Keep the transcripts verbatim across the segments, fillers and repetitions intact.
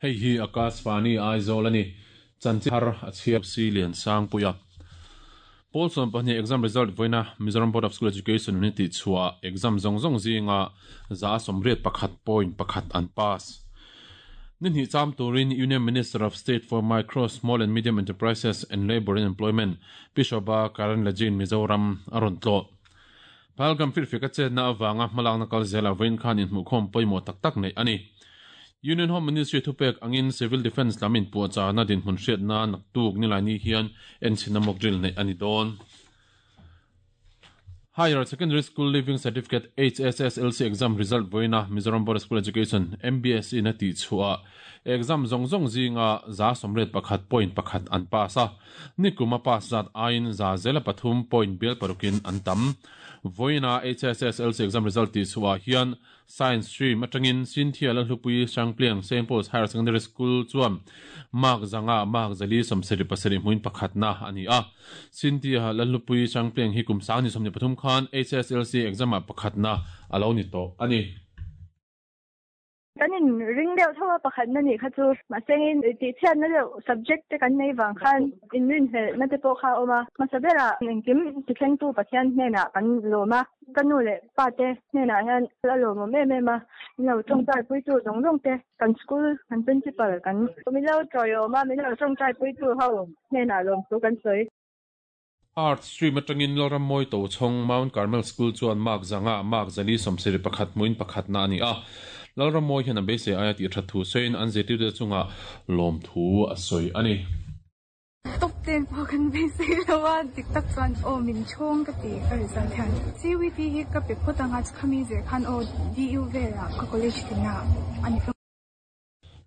Hei hi Akashvani Aizawl ani. Chanchin thar a chhiar si lian sang puia. Pawl sawm pahnih exam result vawiina Mizoram Board of School Education an tih chhuah exam zawng zawng zinga za sawmriat pakhat point pakhat an pass. Ni hnih cham turin Union Minister of State for Micro, Small and Medium Enterprises and Labour and Employment Pi Shobha Karandlaje Mizoram a rawn tlawh. Pahalgam firfik a chetna avanga hmalakna kal zela vawiin khan inhmuhkhawm pawimawh tak tak neih a ni. Union Home Ministry thupek angin Civil Defence lam inpuahchahna dinhmun hriatna naktuk nilaini hian enchhin a mock drill neih a ni dawn. Higher Secondary School Leaving Certificate, H S S L C, exam result vawiina Mizoram Board of School Education, M B S E, in a tihchhuah exam zawng zawng zinga za sawmriat pakhat point pakhat an pass a. Nikum a pass zat aiin za zela pathum point bial parukin an tam. Vawiina H S S L C exam result tihchhuah hian Science stream atangin Cynthia Lalhlupui Hrangpliang Saint Paul's Higher Secondary School chuan mark zanga mark zali sawmsarih pasarih hmuin pakhatna a ni a. Cynthia Lalhlupui Hrangpliang hi kum sang ni sawmhnih pathum khan H S L C exam ah pakhatna a lo ni tawh a ni. Kan in ring deuh tho a pakhat na ni kha chu mahsengin tih chhiat na deuh subject te kan nei vang khan in rin hlel na te pawh kha awm a. Hmasa berah engkim ti thlengtu Pathian hnenah kan lawm a, ka nu leh pa te hnenah hian a lawmawm em em a. Min lo tawngtai puitu zawng zawng te, kan school kan principal, kan min lo tawiawm a, min lo tawngtai puitu ho hnenah lawm thu kan sawi. Arts stream atangin Lalrammawi Tochhawng Mount Carmel School chuan mark zanga mark zali sawmsarih pakhat hmuin pakhatna a ni a. Lalrammawi hian a beisei aia tih that thu sawiin an zirtirte chunga lawm thu a sawi a ni. Top ten pawh kan beisei lo a, dik tak chuan aw min chhawng ka ti ka result hian. C U E T hi ka pe phawt anga, khami zir khan aw D U velah ka college tina ani.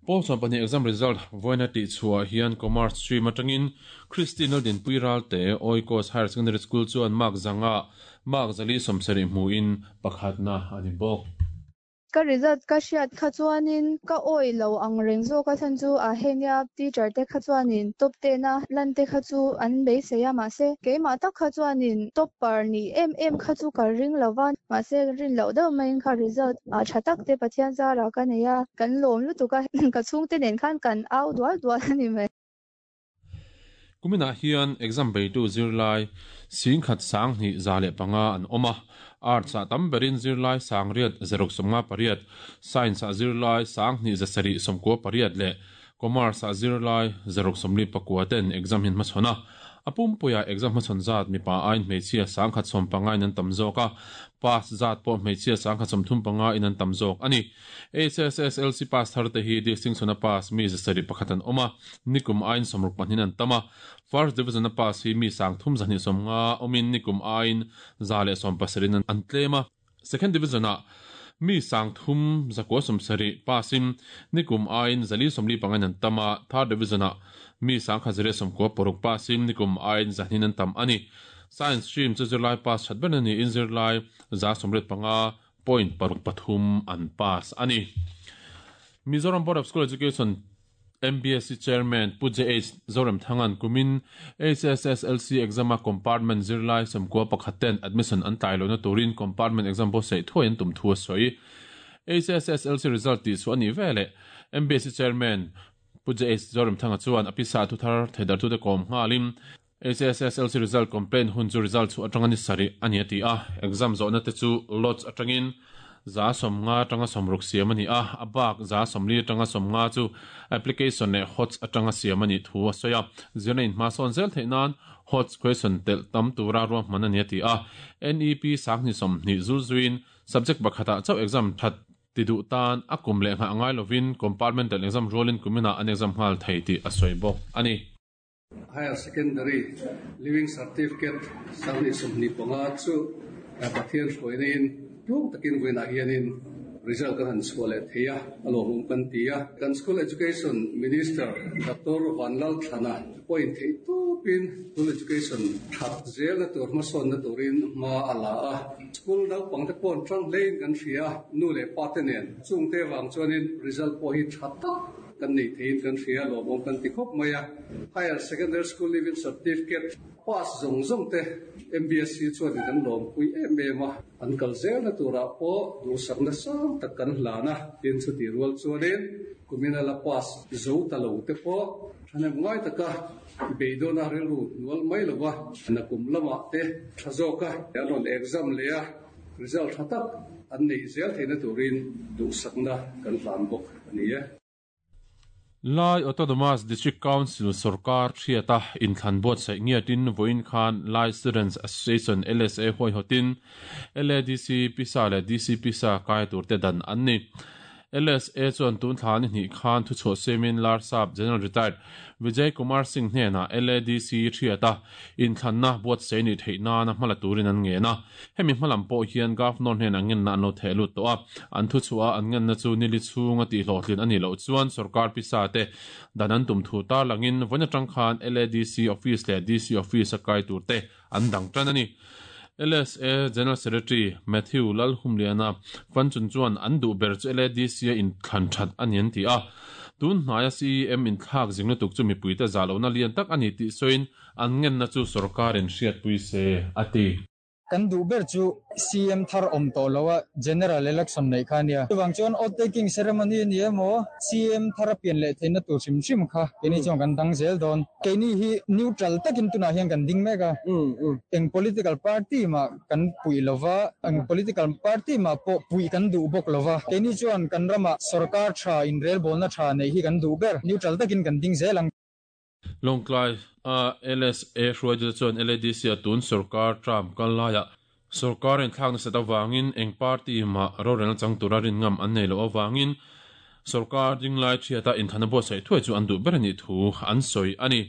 Pawl sawm pahnih exam result vawiina tihchhuah hian Commerce stream atangin Christine Laldinpui Ralte Oikos Higher Secondary School chuan mark zanga mark zali sawmsarih hmuin pakhatna a ni bawk. Ka result ka hriat kha chuanin ka awi lo ang reng zawk a chhan chu a henia teacher te kha chuanin top ten a lan te kha chu an beisei a, mahse keimah tak kha chuanin topper ni em em kha chu ka ring lova, mahse rin loh deuh maiin kha result a tha tak te Pathian zara ka nei a, kan lawm lutuk a, ka chhungte nen khan kan au dual dual ani mai. Kuminah hian exam beitu zirlai singkhat sang hnih za leh panga an awm a. Arts ah tam berin zirlai sangriat zaruk sawmnga pariat, science ah zirlai sang hnih zasarih sawmkua pariat leh commerce ah zirlai zaruk sawmli pakua ten exam hin hmachhawn a. A pumpuia exam hmachhawn zat mipa aiin hmeichhia sangkhat sawm panga in an tam zawk a, pass zat pawh hmeichhia sangkhat sawmthum panga in an tam zawk a ni. H S S L C pass thar te hi distinction a pass mi zasarih pakhat an awm a, nikum aiin sawmruk pahnih an tam a. First division a pass hi mi sang thum zahnih sawmnga awmin nikum aiin za leh sawm pasarin an tlem a. Second division ah mi sang thum zakua sawmsarih passin nikum aiin zali sawmli panga in an tam a. Third division ah mi sangkhat zariat sawmkua paruk passin nikum aiin zahnin an tam a ni. Science stream chu zirlai pass that ber ani in zirlai za sawmriat panga point paruk pathum an pass a ni. Mizoram Board of School Education, M B S E Chairman Pu J H Zoramthangan kumin H S S L C exam a compartment zirlai sawmkua pakhat ten admission an tlai lohna turin compartment exam pawh saih thuai an tum thu a sawi. H S S L C result tih chu ani vele M B S E Chairman Pu J H Zoramthanga chuan a pisa thu thar theidar tu te kawm nghalin H S S L C result complaint hun chu result chu atanga ni sarih ani a ti a. Exam zawhna te chu lots atangin za sawmnga atanga sawmruk siam ani a, a bak za sawmli atanga sawmnga chu application leh HOTS atanga siam ani thu a sawi a. Zirna in hma sawn zel theih nan HOTS question tel tam tura ruahman ani a ti a. N E P sanghnih sawmhnih zul zuin subject pakhatah chauh exam that ti duh tan a kum leh nghah ngai lovin compartmental exam rualin kumina an exam nghal thei tih a sawi bawk ani. Higher Secondary Leaving Certificate sanghnih sawmhnih panga chu Pathian hruaina tluang takin vawiinah hianin result kan han chhuah leh thei a, a lawmawm kan ti a. Kan School Education Minister Doctor Vanlalthlana pawhin theih tawpin school education that zelna tur, hmasawnna turin hma a la a. School naupangte pawh tang hlein kan hria, nu leh pa te nen chungte wang chuanin result pawh hi tha tak kan nei theiin kan hria, lawmawm kan ti khawp mai a. Higher Secondary School Leaving Certificate pass zawng zawng te M B S E chuan kan lawm pui em em a, an kal zelna turah pawh duhsakna sang tak kan hlana. Tin, chu ti rual chuanin Kumina la pass zo talo te po thanem ngai taka beidona rilu nual mai lova na kum lama te thazoka anon exam lea result thatak an nei zel theina turin du sakna kan hlan bok ani e. Lai Autonomous District Council Sarkar Thiata in Thlanbot sai ngiatin voin khan Lai Students Association L S A hoi hotin L A D C pisa le D C pisa kai turte dan anni. L S A chuan tun thlan ni khan thu chho semin lar sap General Retired Vijay Kumar Singh hne na L A D C Thiata in thlanna bot sei ni theina na hmala turin an nge na hemi hmalam po hian governor hne na ngen na no thelu to a an thu chua an ngen na chu nili chunga ti hlawhlin ani lo chuan sarkar pisa te danan tum thu ta langin voina tang khan L A D C office le D C office a kai tur te an dang tan ani. L S A General Secretary Matthew Lalhumliana fanchun chuan an du ber chu L A D C in thlan that anian ti a tun hnaya C M in thlak zingna tuk chu mipui te zalona lian tak ani ti soin an ngen na chu sarkarin hriat pui se ati. Kan du ber chu C M thar om to lowa general election nei khania wang chuan oath taking ceremony ni emo C M thar pian le theina tu sim sim kha keni chong kan dang zel don keni hi neutral takin tuna hian kan ding mega eng political party ma kan pui lova eng political party ma po pui kan du bok lova keni chuan kan rama sarkar tha in rel bolna tha nei hi kan du ber neutral takin kan ding zelang. Longklai a L S A hruai chuan L A D C atun sarkar Trump kalaya sarkar in thlak na seta wangin eng party ma rorel chang turarin ngam an nei lo awangin sarkar dinglai thiata in thana bo sai thuai chu an du berani thu an soi ani.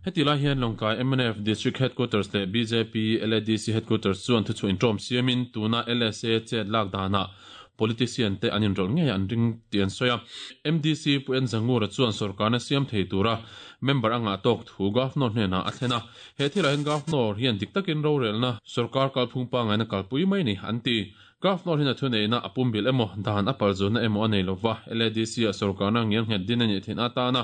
Hetila hian Longklai M N F District Headquarters le B J P L A D C Headquarters chuan thu chu in trom siamin tuna L S A chet lak dana politician te anin rol nge an ring tian soya M D C puen zangura chuan sarkarna siam thei tura member anga tok thu governor hne na athena he thila hen governor hian diktakin rorelna sarkar kalphung pa ngaina kalpui mai ni anti governor hin athune na apum bil emo dan apal zona emo anei lova L A D C a sarkarna ngel nget din ani thin atana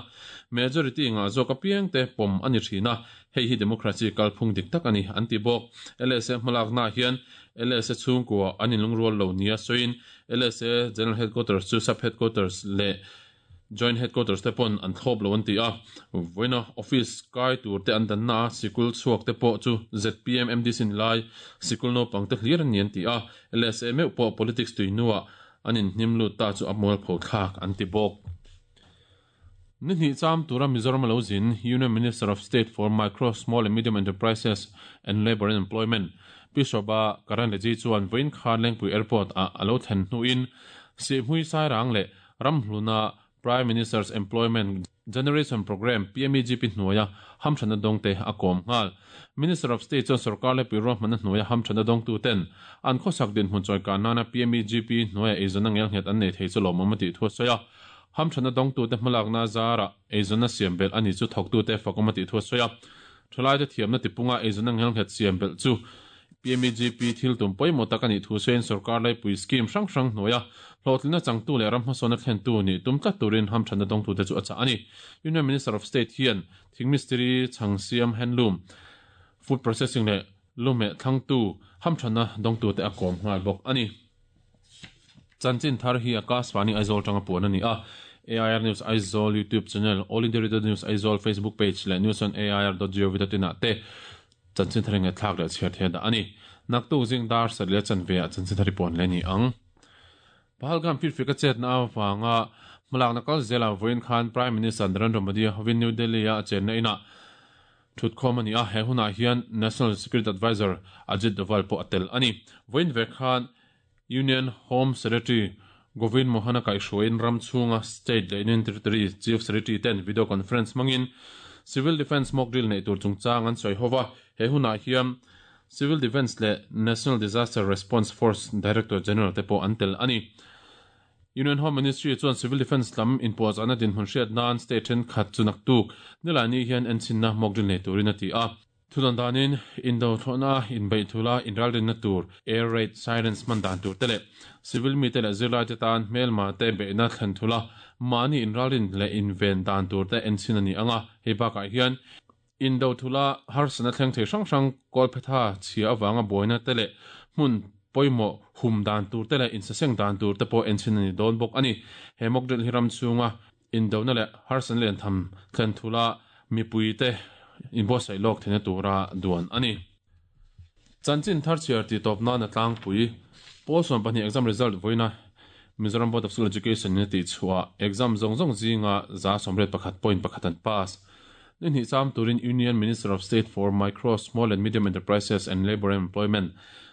majority nga zoka piang te pom ani thina hei hi democracy kalphung diktak ani anti bok L S A hmalak na hian L S A chung ko anin lungrual lo nia soin L S A General Headquarters chu sub headquarters le joint headquarters te pon an thop lo an ti a voina office kai tur te an dan na sikul chuak te po chu Z P M M D C lai sikul no pang te hlir an ti a L S A me po politics tuinua anin hnimlu ta chu amol pho thak an ti bok. Ni ni cham tura Mizoram lo zin Union Minister of State for Micro Small and Medium Enterprises and Labor and Employment Pishoba Karan Leji chuan voin khan Lengpui Airport a alo then hnuin si hmui sai rang le ramhluna Prime Minister's Employment Generation Program P M E G P hnuaia hamthana dongte a kom ngal Minister of State chuan sarkar le piro hmana hnuaia hamthana dong tu ten an khosak din hmun choi kan nana P M E G P hnuaia eizona ngel nget an nei thei chu lomam ti thu soya hamthana dong tu te hmalak na zara eizona siambel ani chu thok tu te fakoma ti thu soya thalai te thiamna tipunga eizona ngel nget siambel chu P M E G P thil tum poimo takani thu sen sarkar lai pui scheme sang sang hnuaia hlotlina changtu le ram hmasona thlen tu ni tum tlat turin hamthana dong tu te chu acha ani. Union Minister of State hian thing mystery changsiam handloom food processing le lume thangtu hamthana dong tu te akom ngal bok ani. Chanchin thar hi Akashvani Aizawl tanga puan ani a A I R News Aizawl YouTube channel, All India Radio News Aizawl Facebook page le news on A I R dot gov dot in te chanchin thar nge thlak le chher the da ani. Naktu jing dar sar le chan ve a chanchin thari pon le ni ang. Pahalgam fir fika chet na awanga malak na kal zela voin khan Prime Minister Narendra Modi hovin New Delhi a chen na ina thut khom ani a he huna hian National Security Advisor Ajit Doval po atel ani. Voin ve khan Union Home Secretary Govind Mohana kai shoin ram chunga state le Union Territory Chief Secretary ten video conference mangin Civil Defense mock drill nei tur chungchang an soi hova he huna hian Civil Defense le National Disaster Response Force Director General te po antel ani. Union Home Ministry chuan Civil Defense lam in poz ana din hun hriat nan state then khat chunak tuk nilani hian enchinna mock drill nei turin ati a thudan danin indo thona in bei thula in ralrin na tur air raid sirens man dan tur tele civil mi tele zirlai te tan hmel ma te be na thlan thula mani in ralrin le in ven dan tur te enchin ani anga he bakah hian indo thula harsana thleng thei hrang hrang kawlphetha chhia awanga buaina tele hmun poimo hum dan tur te le insaseng dan tur te pawh enchin ani dawn bawk ani. He mock drill hi ram chunga indona leh harsan len tham thlen thula mipui te inbuatsaih lawk theihna tura duan ani. Chanchin thar chhiar tih tawp nan a tlangpui pawl sawm pahnih exam result vawiina Mizoram Board of School Education in a tih chhuah exam zawng zawng zinga za sawmriat pakhat point pakhat an pass. Ni hnih cham turin Union Minister of State for Micro, Small and Medium Enterprises and Labour and Employment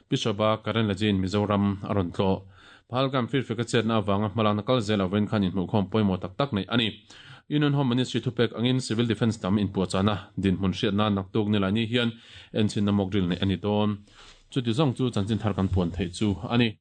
Pi Shobha Karandlaje in Mizoram a rawn tlawh. Pahalgam firfek a chetna avanga hmalakna kal zel a vawiin khan inhmuhkhawm pawimawh tak tak neih a ni. Union Home Ministry thupek angin Civil Defence tam inpuahchahna dinhmun hriatna naktuk nilai ni hian enchinna mock drill neih a ni dawn. Chuti zawng chu chanchin thar kan puan theih chu a ni.